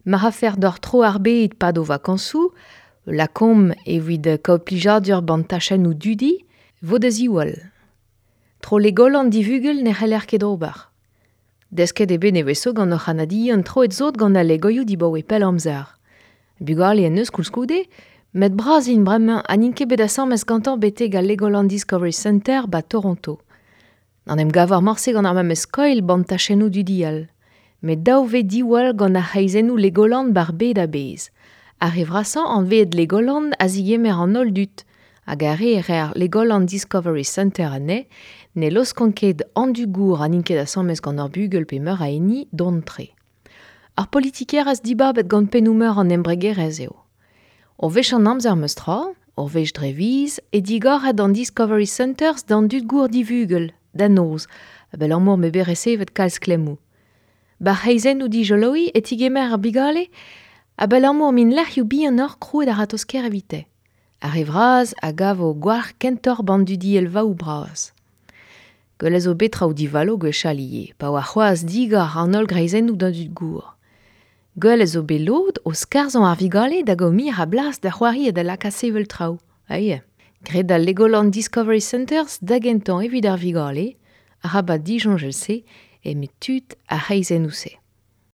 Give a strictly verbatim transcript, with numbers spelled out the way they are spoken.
Mar afer d'or tro ar bed pad o vakañsoù, lakomp evit kaout plijadur ban tachennoù dudi, vo da ziwall. Tro Legoland divugel ne c'heller ket ober. Desket eo bet nevezo gant hor c'hanadian troet zot gant al legoioù dibaoe pell amzer. Bugale en eus koulskoude, met bras int bremañ ha n'int ket bet asambles gantañ betek al Legoland Discovery Center ba Toronto. N'en em gavar morse gant ar memes skoilh ban tachennoù dudi all. Met dav vez diwall gant ar c'hreizennoù Legoland bar bed a-bezh. Ar re vrasañ anveet Legoland a zigemer an holl dud, hag ar re reer Legoland Discovery Center anezhe ne laoskont ket an dud-gour ha n'int ket asambles gant ur bugel pe meur a hini dont-tre. Ar politikerezh dibabet gant pennoù-meur an embregerezh eo. Ur wech an amzer meus tra, ur wech dre viz, e digoret an Discovery Centers d'an dud-gour divugel, da noz, abalamour m'eo bet resevet kalz klemmoù. Bar c'hreizennoù dijoloiñ e tigemer ar bugale abalamour m'int lec'hioù bihanoc'h krouet a-ratozh-kaer evite. Ar re vras a gavo gwalc'h kentoc'h ban dudielvaoù bras. Gwell zo bet traoù divalo gwechall ivez, pa oa c'hoazh digor an holl greizennoù d'an dud-gour. Gwell zo bet lod o skarzhañ ar vugale da gaout muioc'h a blas da c'hoari ha da lakaat sevel traoù. Aie. Graet al Legoland Discovery Centers da gentañ evit ar vugale, arabat disoñjal se eme tud ar c'hreizennoù-se.